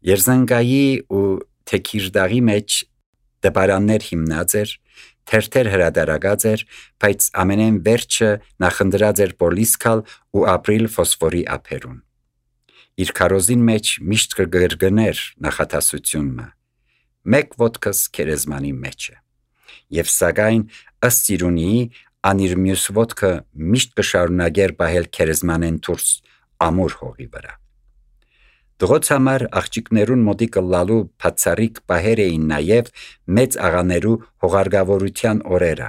Երզանգայի ու թեքիրդաղի մեջ դպարաններ հիմնած էր, թերթեր հրադարագած էր, բայց ամենեն վերջը նախնդրած էր պոլիսկալ ու ապրիլ ֆոսֆորի ափերուն։ Իր քարոզին մեջ միշտ կգրգներ նախատասությունը, մեկ ոտքս քերեզմանի մեջ է, և սակայն ըստ Սիրունիի անիր մյուս ոտքը միշտ կշարունակեր պահել քերեզմանեն դուրս ամուր հողի վրա։ Դղոց համար աղջիկներուն մոտի կլալու բացառիկ պահեր էին նաև մեծ աղաներու հողարգավորության օրերը։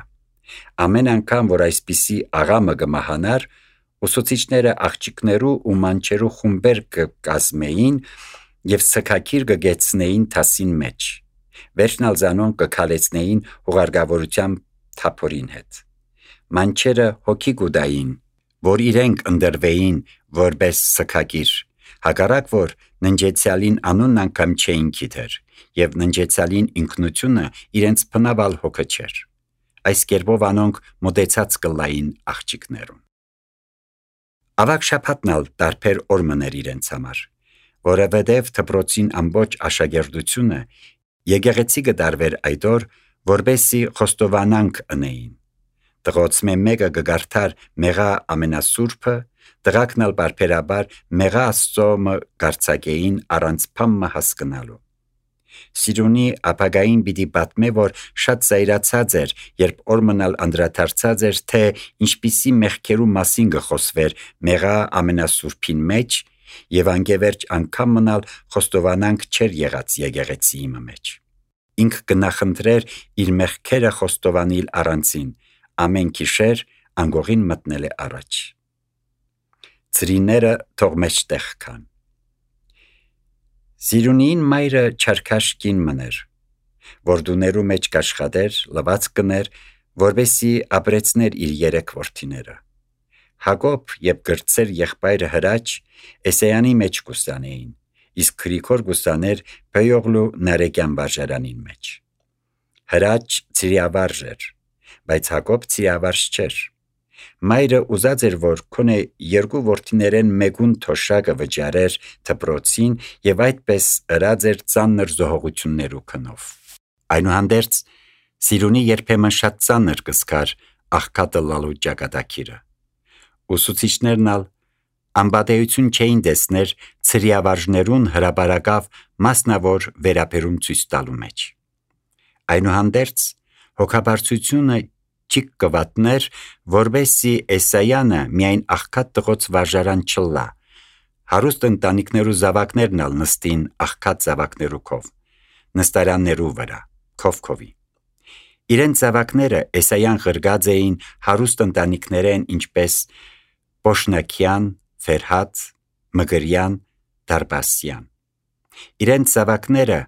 Ամեն անգամ, որ այսպիսի աղամը կմահանար, ուսուցիչները աղջիկներու ու մանչերու խումբեր կկազմեին և սքակիր կգեցնեին թասին մեջ, վերջնալ զանոն կքալեցնեին հողարգավորության թափորին հետ։ Մանչերը հոգի կուտային, որ իրենք ընդրվեին որպես սքակիր, հակառակ որ ննջեցյալին անունն անգամ չէին գիտեր, և ննջեցյալին ինքնությունը իրենց բնավալ հոգը չէր։ Այս կերպով անոնք մոտեցած կլային աղջիկներուն։ Ավագ շաբաթնալ տարբեր օր մներ իրենց համար, որովհետև դպրոցին ամբողջ աշակերտությունը եկեղեցի կդարվեր այդ օր, որպեսզի խոստովանանք ընեին։ Տղոցմե մեկը կգարթար մեղա ամենասուրբը, տղակն ալ բարբերաբար մեղա Աստծոմը գարցակեին առանց փամը հասկնալու։ Սիրունի ապագային պիտի պատմե, որ շատ զայրացած էր, երբ օրմնալ անդրադարձած էր, թե ինչպիսի մեղքերու մասին կխոսվեր մեղա ամենասուրբին մեջ, և անգևերջ անգամ մնալ խոստովանանք չէր եղած եկեղեցիի մեջ։ Ինք կնախընտրեր իր մեղքերը խոստովանել առանցին, ամեն գիշեր անգողին մտնել է առաջ։ Ծրիները թող մեջտեղ կան։ Սիրունիին մայրը չարքաշ կին մներ, որ դուներու մեջ կաշխատեր, լված կներ, որպեսզի ապրեցներ իր երեք որդիները։ Հակոբ և գրծեր եղբայրը Հրաչ Էսայանի մեջ կուսանեին, իսկ Գրիգոր կուսաներ Բեյողլու Նարեկյան վարժարանին մեջ։ Հրաչ ծիրիավարժ էր, բայց Հակոբ ծիրիավարժ չէր։ Մայրը ուզած էր, որ քոնե երկու որդիներեն մեկուն թոշակը վճարեր դպրոցին և այդպես ըրած էր ծանր զոհողություններու քնով։ Այնուհանդերձ Սիրունի երբեմն շատ ծանր կզգար աղքատը լալու ճակատագիրը։ Ուսուցիչներն ալ անպատեություն չէին տեսներ ծրիավարժներուն հրաբարակավ մասնավոր վերաբերում ցույց տալու մեջ։ Այնուհանդերձ հոգաբարձությունը չի կվատներ, որպեսզի Էսայանը միայն աղքատ տղոց վարժարան չլա, հարուստ ընտանիքներու զավակներն ալ նստին աղքատ զավակներու քով, նստարաններու վրա, քովքովի։ Իրենց զավակները Էսայան ղրգած էին հարուստ ընտանիքներեն, ինչպես Պոշնակյան, Ֆերհատ, Մգրյան, Դարբասյան։ Իրենց զավակները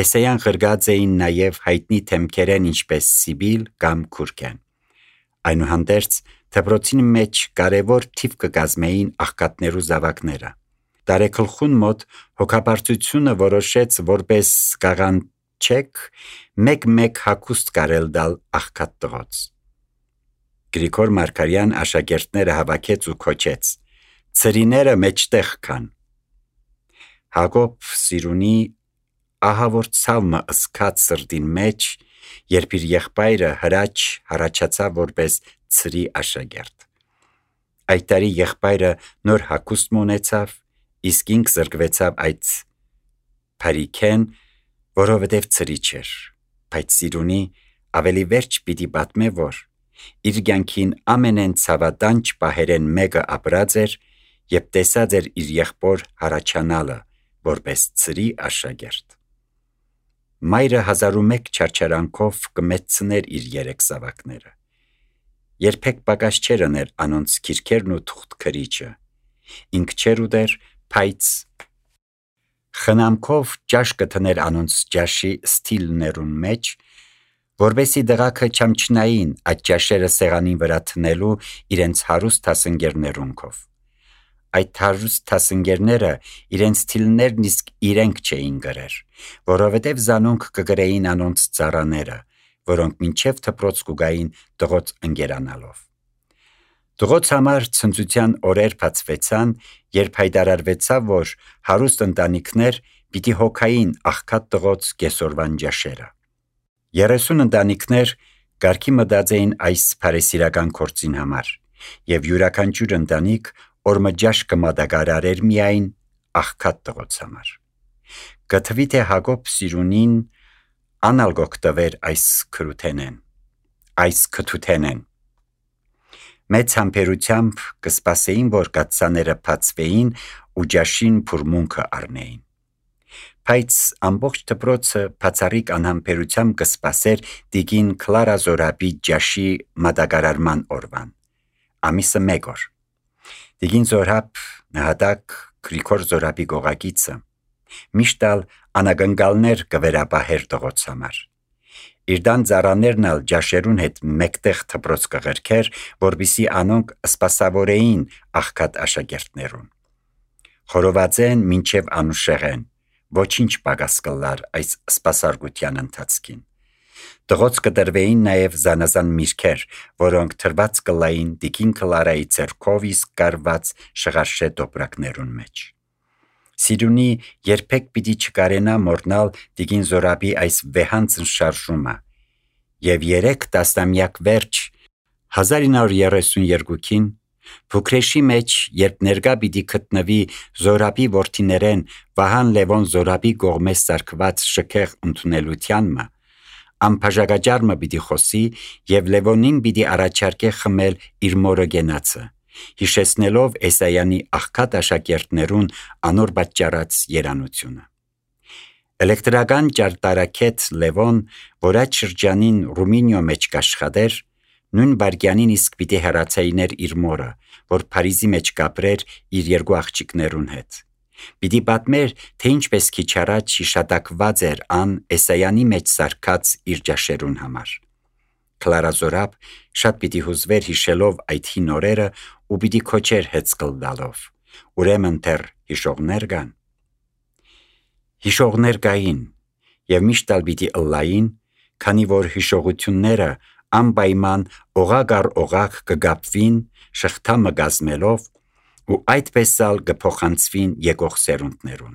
Էսայան ղրգած էին նաև հայտնի թեմքերեն, ինչպես Սիբիլ կամ Քուրքեն։ Այնուհանդերձ դպրոցին մեջ կարևոր թիվ կկազմեին աղքատներու զավակները։ Տարեգլխուն մոտ հոգաբարձությունը որոշեց, որպես կաղանչեք մեկ հագուստ կարել դալ աղքատ տղոց։ Գրիգոր Մարգարյան աշակերտները հավաքեց ու քոչեց. «Ծրիները մեջտեղ կան»։ Հակոբ Սիրունի ահավոր ցավը ըսկաց սրտին մեջ, երբ իր եղբայրը Հրաչ հառաջացավ որպես ծրի աշակերտ։ Այդ տարի եղբայրը նոր հագուստ ունեցավ, իսկ ինք զրկվեցավ այդ փարիքեն, որովհետև ծրի չէր, բայց Սիրունի ավելի վերջ պիտի պատմե, որ իր կյանքին ամենեն ցավատանջ պահերեն մեկը ապրած էր և տեսած էր իր եղբոր հառաջանալը որպես ծրի աշակերտ։ Մայրը 1001 չարչարանքով կմեծցներ իր երեք զավակները։ Երբեք պակաս չէր ըներ անոնց քիրքերն ու թուղթ քրիչը։ Ինք չէր ուտեր, բայց խնամքով ճաշ կթներ անոնց ճաշի ստիլներուն մեջ, որպեսզի դղաքը չամչնային այդ ճաշերը սեղանին վրա թնելու իրենց հարուստ դասընկերներունքով։ Այդ հարուստ դասընկերները իրենց թիլներն իսկ իրենք չէին գրեր, որովհետև զանոնք կգրեին անոնց ծառաները, որոնք մինչև դպրոց կուգային տղոց ընկերանալով։ Տղոց համար ցնծության օրեր բացվեցան, երբ հայտարարվեցավ, որ հարուստ ընտանիքներ պիտի հոգային աղքատ տղոց կեսօրվան ջաշերը։ 30 ընտանիքներ կարգի մտած էին այս փարեսիրական գործին համար, եւ յուրաքանչյուր ընտանիք օրը ջաշ կմատակարարեր միայն աղքատ տղոց համար։ Կթվի թե Հակոբ սիրունին անալգոք տվեր այս քթութենեն։ Մեծ համբերությամբ կսպասեին, որ կաթսաները բացվեին ու ջաշին փուրմունքը առնեին։ Բայց ամբողջ դպրոցը բացառիկ անհամբերությամբ կսպասեր տիկին Կլարա Զորաբի ջաշի մատակարարման օրվան, ամիսը 1 օր։ Տիկին Զորաբ նահատակ Գրիգոր Զորաբի գողագիծը միշտ անագնկալներ կվերապահեր տղոց համար։ Իրդան ծառաներն ալ ջաշերուն հետ մեկտեղ դպրոց կղրքեր, որպիսի անոնք սպասավորեին աղքատ աշակերտներուն։ Խորովածեն մինչև անուշեղեն, ոչինչ պակաս կլար այս սպասարկության ընթացքին։ Տղոց կտրվեին նաև զանազան միրգեր, որոնք թրված կլային տիկին Կլարայի ձեռքով իսկ կարված շղարշե տոպրակներուն մեջ։ Սիրունի երբեք պիտի չկարենա մոռնալ տիկին Զորաբի այս վեհանցն շարժումը, եւ 3 տասնամյակ վերջ 1932-ին Փուքրեշի մեջ, երբ ներկա պիտի գտնվի Զորաբի որդիներեն Վահան Լևոն Զորաբի կողմէ սարքված շքեղ ընդունելությանն, ամբաժակաճառը պիտի խոսի եւ Լևոնին պիտի առաջարկե խմել իր մորը գենացը, հիշեցնելով Էսայանի աղքատ աշակերտներուն անոր պատճառած երանությունը։ Էլեկտրական ճարտարակետ Լևոն, որ այդ շրջանին Ռումինիո մեջ կաշխատեր, նույն վայրկյանին իսկ պիտի հեռացայիներ իր մորը, որ Փարիզի մեջ կապրեր իր 2 աղջիկներուն հետ։ Պիտի պատմեր, թե ինչպես քիչ առաջ հիշատակված էր ան Էսայանի մեջ սարքած իր ջաշերուն համար։ Կլարա Զորաբ շատ պիտի հուզվեր հիշելով այդ հին օրերը ու պիտի քոչեր հեծկլ տալով։ Ուրեմն դեռ հիշողներ կան։ Հիշողներ կային եւ միշտ պիտի ըլլային, քանի որ հիշողությունները անպայման օղակ առ օղակ կգապվին շղթամը գազմելով ու այդպես ալ կփոխանցվին եկող սերունդներուն։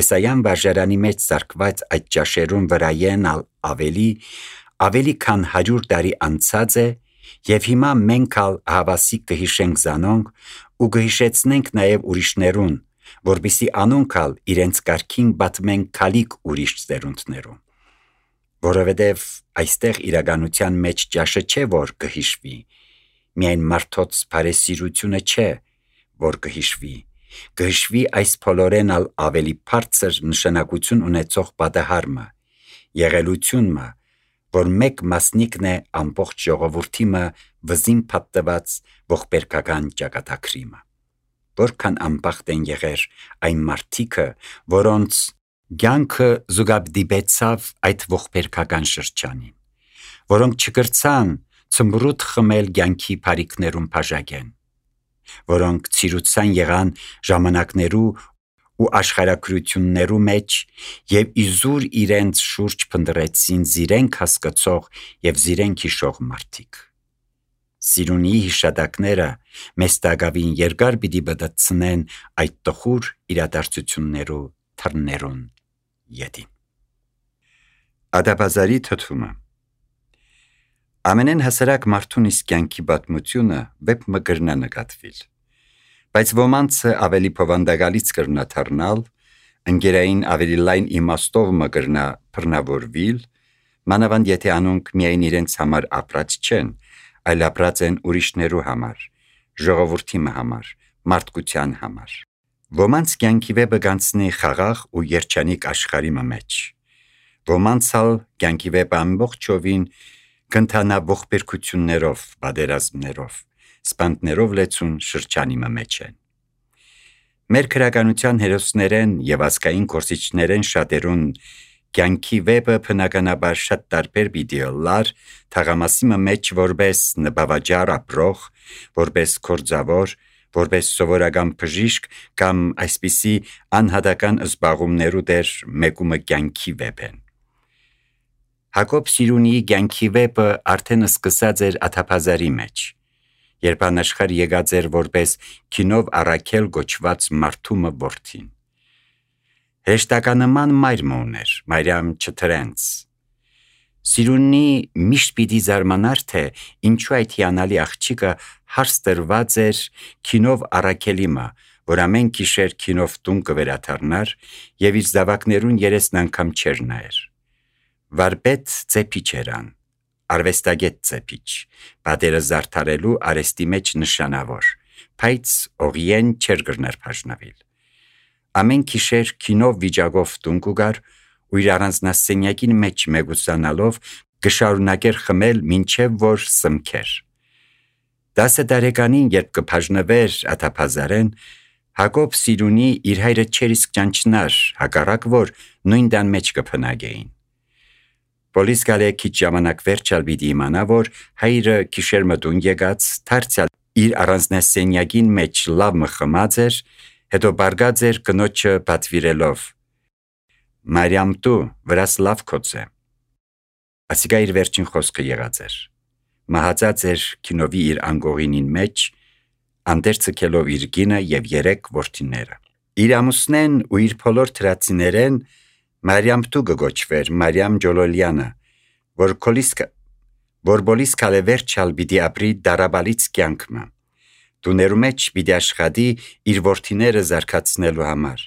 Էսայան վարժարանի մեջ սարքված այդ ջաշերուն վրայեն ավելի քան 100 տարի անցած է եւ հիմա մենք ալ հավասիկ կհիշենք զանոնք ու կհիշեցնենք նաեւ ուրիշներուն, որպիսի անոնք ալ իրենց կարգին պատմեն քալիք ուրիշ սերունդներուն։ Որովհետև այստեղ իրականության մեջ ջաշը չէ, որ կհիշվի, միայն մարդոց բարեսիրությունը չէ, որ կհիշվի այս փոլորեն ալ ավելի բարձր նշանակություն ունեցող պատահարը, եղելությունը, որ մեկ մասնիկն է ամբողջ ժողովրդիմը վզին փաթված ողբերգական ճակատագրիմը։ Որքան անբախտ են եղեր այն մարդիկը, որոնց կյանքը զուգաբդիպեցավ այդ ողբերգական շրջանին, որոնք չկրցան ծմբրուտ խմել կյանքի բարիքներուն բաժակեն, որոնք ցիրուցան եղան ժամանակներու ու աշխարհագրություններու մեջ եւ իզուր իրենց շուրջ փնտրեցին զիրենք հասկացող եւ զիրենք հիշող մարդիկ։ Սիրունի հիշատակները մեզ տագավին երկար պիտի բդացնեն այդ տխուր իրադարձություններու թռներուն ետին։ Ադաբազարի թթումը ամենեն հասարակ մարդուն իսկ կյանքի պատմությունը վեպ մը կրնա նկատվիլ, բայց ոմանցը ավելի փովանդակալից կրնա թռնալ, ընկերային ավելի լայն իմաստով մը կրնա բռնավորվիլ, մանավանդ եթե անոնք միայն իրենց համար ապրած չեն, այլ ապրած են ուրիշներու համար, ժողովրդի համար, մարդկության համար։ Ոմանց կյանքի վեպը գանցնի խաղաղ ու երջանիկ աշխարհի մեջ, ոմանց ալ կյանքի վեպը ամբողջովին կընթանա ողբերգություններով, պատերազմներով, սպանդներով լեցուն շրջանի մեջ են։ Մեր քրականության հերոսներեն եւ ազգային գործիչներեն շատերուն կյանքի վեպը բնականաբար շատ տարբեր պիտի լար թաղամասի մեջ որպես նպավաճառ ապրող, որպես կորձավոր, որպես սովորական բժիշկ կամ այսպիսի անհատական զբաղումներու դեր մեկումը կյանքի վեպ են։ Հակոբ Սիրունիի կյանքի վեպը արդեն սկսած էր Աթափազարի մեջ, երբ անաշխար եկած էր որպես քինով առաքել գոչված մարդումը որդին։ Հեշտականման մայրը ուներ, Մարիամ Չթրենց։ Սիրունի միշտ պիտի զարմանար, թե ինչու այդ հիանալի աղջիկը հարց տրված էր քինով առաքելիմը, որ ամեն գիշեր քինով տուն կվերադառնար եւ իր զավակներուն երեսն անգամ չեր նայեր։ Վարպետ ծեփիչ երան, արվեստագետ ծեփիչ, պատերը զարդարելու արեստի մեջ նշանավոր, բայց օղիեն չեր գրներ բաժնվել։ Ամեն գիշեր քինով վիճակով տուն կուգար ու իր առանձնասենյակին մեջ մեգուսանալով կշարունակեր խմել մինչև որ սմքեր։ 10 տարեկանին երբ կբաժնվեր աթափազարեն, Հակոբ Սիրունի իր հայրը չեր իսկ ճանչնար, հակառակ որ նույն տան մեջ կփնագեին։ Պոլիս գալե քիչ ժամանակ վերջալ պիտի իմանա, որ հայրը գիշեր մտուն եկած, դարձյալ իր առանձնասենյակին մեջ լավ մխմած էր, հետո բարգած էր կնոջը պատվիրելով. Մարիամ դու վրաս լավ կոծե։ Ասիկա իր վերջին խոսքը եղած էր։ Մահացած էր քինովի իր անգողինին մեջ, անդերցքելով իր գինը եւ 3 որդիները։ Իր ամուսնեն ու իր բոլոր թրացիներեն Մարիամ դու գոչվեր Մարիամ Ջոլոլյանը, որ բոլիս կալե վերջալ պիտի ապրի դարաբալից կյանքը։ Տուներու մեջ պիտի աշխատի իր որդիները զարգացնելու համար։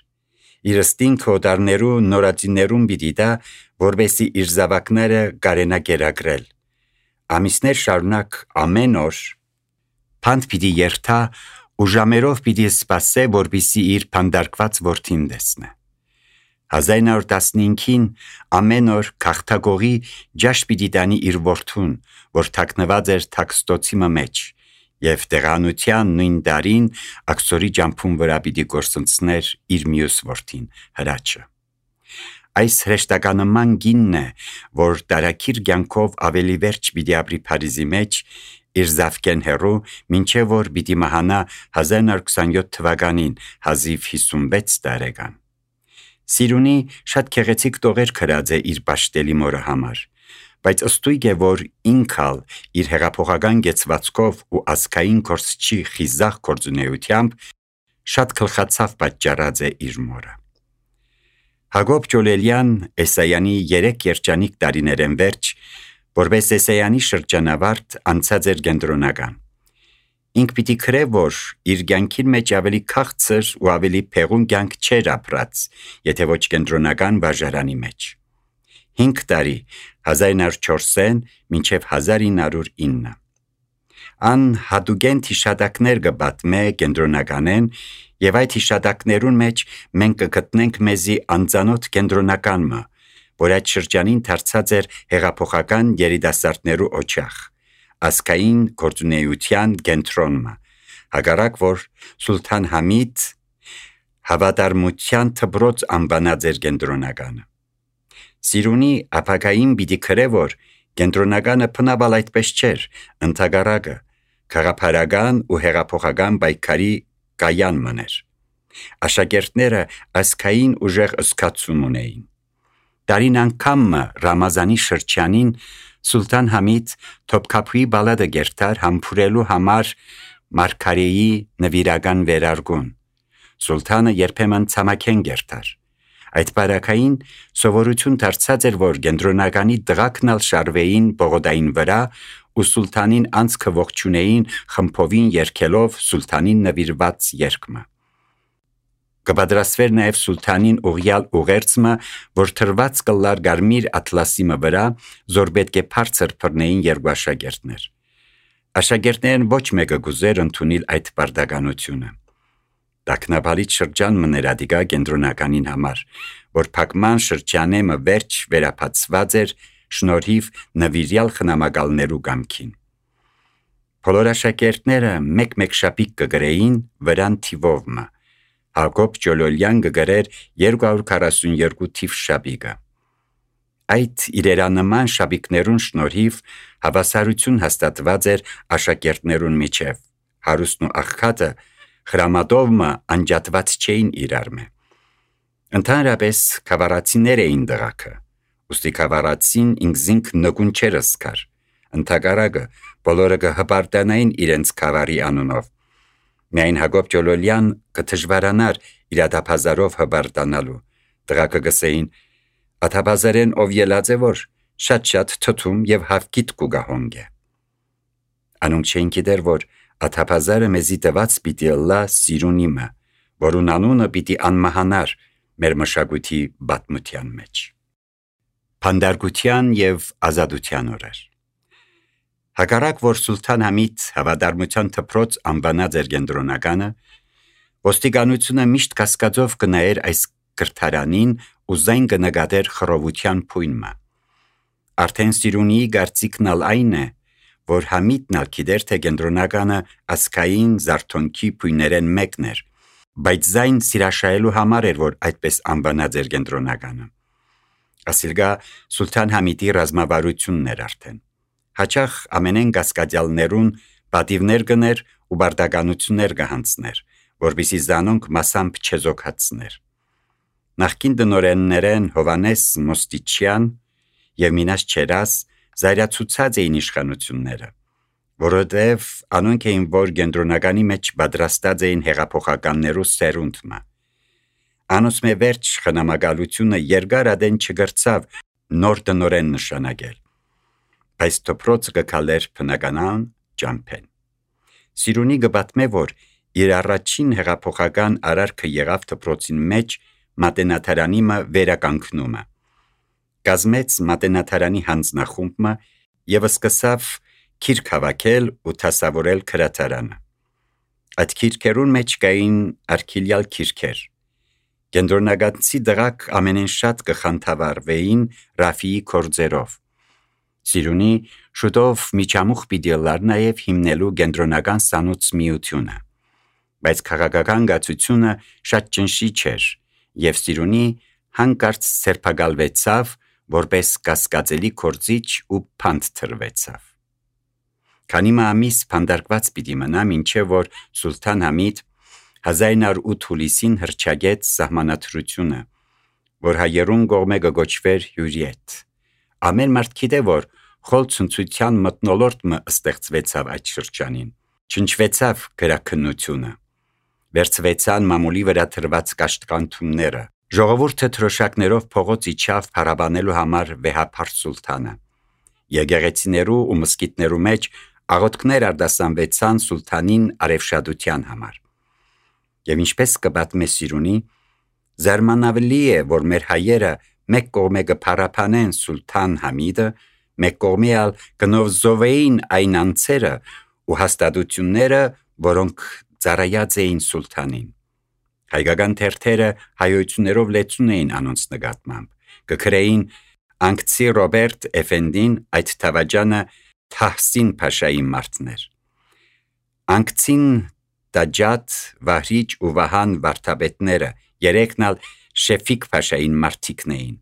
Իր ստինքը օտարներու նորածիներուն պիտի տա, որբեսի իր զավակները կարենա գերագրել։ Ամիսներ շարունակ ամեն օր փանդ պիտի երթա ու ժամերով պիտի սպասե, որբիսի իր փանդարկված որդին տեսնե։ 1915-ին ամեն օր քաղաքագողի ջաշ պիտի տանի իր որդուն, որ թաքնված էր թաքստոցի մեջ, եւ տեղանության նույն տարին աքսորի ջամփուն վրա պիտի գործընծներ իր մյուս որդին Հրաչը։ Այս հրեշտականման գինն է, որ տարակիր կյանքով ավելի վերջ պիտի ապրի Փարիզի մեջ իր զավկեն հերու, մինչև որ պիտի մահանա 1927 թվականին, հազիվ 56 տարեկան։ Սիրունի շատ քեղեցիկ տողեր քրած է իր պաշտելի մորը համար, բայց ըստույգ է, որ ինքալ իր հեղափոխական գեցվածքով ու ազգային կորսչի խիզախ գործունեությամբ շատ քլխացավ պատճառած է իր մորը։ Հակոբ Ջոլոլյան Էսայանի 3 երջանիկ տարիներեն վերջ, որպես Էսայանի շրջանավարտ անցած էր կենտրոնական։ Ինք պիտի քրե, որ իր կյանքին մեջ ավելի քաղցր ու ավելի փեղուն կյանք չէր ապրած, եթե ոչ կենտրոնական բաժարանի մեջ։ 5 տարի 1904-ին մինչև 1909։ Ան հատուկեն հիշատակներ կբատմե կենտրոնականեն եւ այդ հիշատակներուն մեջ մենք կգտնենք մեզի անծանոթ կենտրոնականը, որ այդ շրջանին դարձած էր հեղափոխական երիտասարդներու օջախ, ազգային գործունեության կենտրոնը, հակառակ որ Սուլթան Համիդ հավատարմության թբրոց անվանած էր կենտրոնականը։ Սիրունի ապագային պիտի քրե, որ կենտրոնականը բնաբալ այդպես չէր, ընդհակառակը քաղաքական ու հեղափոխական պայքարի կայան մներ։ Աշակերտները ազգային ուժեղ ըսկացում ունեին։ Տարին անգամը Ռամազանի շրջանին Սուլթան Համիդ Թոփքափուի բալադը գերտար համբուրելու համար Մարգարեի նվիրական վերարգուն։ Սուլթանը երբեմն ցամաքեն գերտար։ Այդ բարակային սովորություն դարձած էր, որ կենտրոնականի դղակնալ շարվեին բողոդային վրա ու սուլթանին անցքը ողջունեին խմբովին երգելով սուլթանին նվիրված երգը։ Կպատրաստվեր նաև սուլթանին ուղյալ ուղերձը, որ թրված կլար գարմիր ատլասիմը վրա, զոր պետք է բարձր բռնեին երկու աշակերտներ։ Աշակերտներն ոչ մեկը գուզեր ընդունել այդ բարդականությունը։ Տակնապալից շրջան մներ ադիգա կենտրոնականին համար, որ փակման շրջանեմը վերջ վերապացված էր շնորհիվ նվիրյալ խնամակալներու կամքին։ Բոլոր աշակերտները մեկ-մեկ շապիկ կգրեին վրան թիվովը։ Հակոբ Ջոլոլյան կգրեր 242 թիվ շապիկը։ Այդ իրերանման շապիկներուն շնորհիվ հավասարություն հաստատված էր աշակերտներուն միջև։ Հարուստն ու աղքատը խրամատովը անջատված չէին իրարմե։ Ընդհանրապես քավառացիներ էին դղակը, ուստի քավառացին ինքզինք նգուն չեր ըսկար, ընդհակառակը բոլորը կհպարտանային իրենց քավառի անունով։ Միայն Հակոբ Ջոլոլյան կդժվարանար իր ադափազարով հպարտանալու, Տղակը գսեին. «Աթաբազարեն ով ելած է որ շատ թթում եւ հավկիտ կուգա հոնգե»։ Անոնք չէին գիտեր, որ Աթաբազարը մեզի տված պիտի ըլլա Սիրունիմը, որուն անունը պիտի անմահանար մեր մշակույթի պատմության մեջ։ Փանդարգության եւ ազատության օրեր։ Հակառակ որ Սուլթան Համիդ հավատարմության թփրոց անվանած էր կենտրոնականը, ոստիկանությունը միշտ կասկածով կնայեր այս կրթարանին ու զայն կնկատեր խռովության փույնը։ Արդեն Սիրունիի կարծիքն այն է, որ Համիդն գիտեր, թե կենտրոնականը ասկային զարթոնքի փույներեն մեկն էր, բայց զայն սիրաշայելու համար էր, որ այդպես անվանած էր կենտրոնականը։ Ասիլգա Սուլթան Համիդի ռազմավարությունն էր արդեն։ Հաճախ ամենեն կասկածյալներուն պատիվներ գներ ու բարդականություններ կհանձներ, որպեսզի զանոնք մասամբ չեզոքացներ։ Նախկին դնորեններեն Հովանես Մոստիչյան եւ Մինաս Չերաս զայրացուցած էին իշխանությունները, որովհետև անոնք էին, որ կենտրոնականի մեջ պատրաստած էին հեղափոխականներու սերունդը։ Անոնց մե վերջ խնամակալությունը երկար ադեն չգրցավ նոր դնորեն նշանակել, բայց դպրոցը կքալեր բնականան ճամփեն։ Սիրունի գբատմե, որ իր առաջին հեղափոխական արարքը եղավ դպրոցին մեջ մատենաթարանիմը վերականգնումը։ Կազմեց մատենաթարանի հանձնախումբը եւ սկսավ քիրք հավաքել ու դասավորել քրատարանը։ Այդ քիրքերուն մեջ կային արքիլյալ քիրքեր։ Կենտրոնակացի դրակ ամենեն շատ կխանդավառվեին Ռաֆիի կորձերով։ Սիրունի շուտով միջամուխ պիտի լար նաև հիմնելու կենտրոնական սանուց միությունը, բայց քաղաքական գացությունը շատ ճնշի չէր եւ Սիրունի հանկարծ սերբակալվեցավ որպես կասկածելի կորձիչ ու փանդ թրվեցավ։ Քանի ամիս փանդարկված պիտի մնա, մինչև որ Սուլթան Համիդ 1908 հուլիսին հռչակեց սահմանադրությունը, որ հայերուն կողմէ կգոչվեր հյուրիետ։ Ամեն մարդ գիտե, որ խոլ ցնցության մթնոլորտը ստեղծվեցավ այդ շրջանին, չնչվեցավ գրաքննությունը, վերցվեցան մամուլի վրա թրված կաշտկանթումները, ժողովուրդը թրոշակներով փողոց իջավ փառաբանելու համար վեհափառ Սուլթանը։ Եկեղեցիներու ու մսկիթներու մեջ աղոթքներ արտասանվեցան Սուլթանին արևշադության համար։ Եվ ինչպես կպատմե Սիրունի, զարմանալի է, որ մեր հայերը մեկ կողմէ կփառաբանեն Սուլթան Համիդը, մեկ կողմէ ալ կնովզովեին այն անձերը ու հաստատությունները, որոնք ծառայած էին Սուլթանին։ Հայկական թերթերը հայություններով լեցուն էին անոնց նկատմամբ, կգրեին Անկցի Ռոբերտ Էֆենդին այդ թավաջանը Թահսին Փաշայի մարդներ։ Անկցին Տաջատ, Վահրիչ ու Վահան վարդապետները երեքն ալ Շեֆիկ Փաշային մարդիկն էին։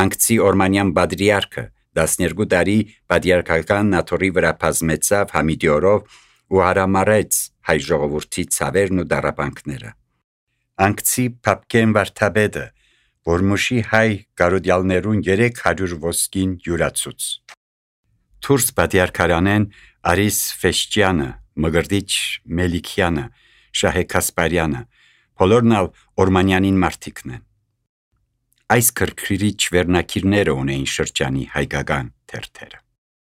Անկցի Օրմանյան բադրիարքը 12 տարի պատիարքական նաթորի վրա բազմեցավ Համիդի օրով ու հարամարեց հայ ժողովրդի ցավերն ու դարաբանքները։ Անկցի Փապկեն վարդապետը, որ մուշի հայ կարոդյալներուն 300 ոսկին յուրացուց։ Թուրս պատիարքարանեն Արիս Ֆեշճյանը, Մգրդիչ Մելիքյանը, Շահե Կասպարյանը, բոլորն ալ Օրմանյանին մարդիկն են։ Այս քրքրիչ վերնակիրները ունեին շրջանի հայկական թերթերը։